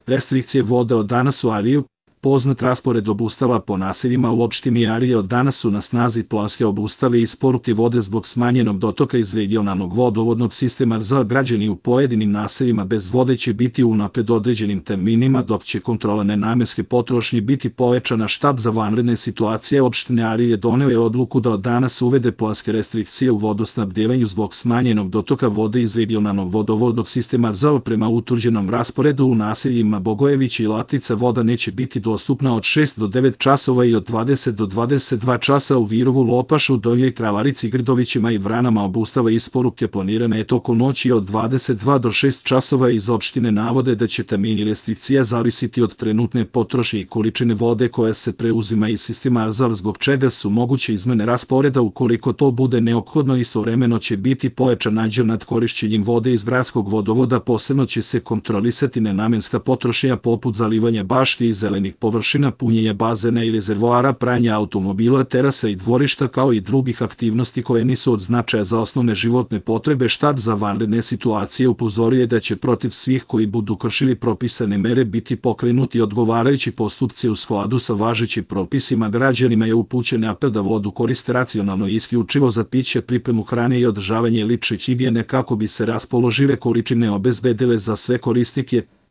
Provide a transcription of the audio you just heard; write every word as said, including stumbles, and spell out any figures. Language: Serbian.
Restrikcije vode od danas u Ariju. Poznat raspored obustava po naseljima u opštini Arije od danas su na snazi. Ploske obustave isporuke vode zbog smanjenog dotoka iz regionalnog vodovodnog sistema za građani u pojedinim naseljima bez vode će biti unapred određenim terminima, dok će kontrola nenamenske potrošnje biti povećana. Štab za vanredne situacije opštine Arije doneo je odluku da od danas uvede planske restrikcije u vodosnabdevanju zbog smanjenog dotoka vode iz regionalnog vodovodnog sistema za prema utvrđenom rasporedu u naseljima Bogojević i Latica voda neće biti dostupna od šest do devet časova i od dvadeset do dvadeset dva časa u Virovu, Lopašu, Donjoj Kravarici, Grdovićima i Vranama. Obustava isporuke planirana je tokom noći od dvadeset dva do šest časova. Iz opštine navode da će termini restrikcija zavisiti od trenutne potrošnje i količine vode koja se preuzima iz sistema Arzal, zbog čega su moguće izmene rasporeda ukoliko to bude neophodno. Istovremeno će biti pojačan nadzor nad korišćenjem vode iz gradskog vodovoda. Posebno će se kontrolisati nenamenska potrošnja poput zalivanja bašti i zelenih površina, punjenja bazena i rezervoara, pranja automobila, terasa i dvorišta, kao i drugih aktivnosti koje nisu od značaja za osnovne životne potrebe. Štab za vanredne situacije upozorio je da će protiv svih koji budu kršili propisane mere biti pokrenuti odgovarajući postupci u skladu sa važećim propisima. Građanima je upućen apel da vodu koriste racionalno i isključivo za piće, pripremu hrane i održavanje lične higijene kako bi se raspoložive količine obezbedile za sve korisnike.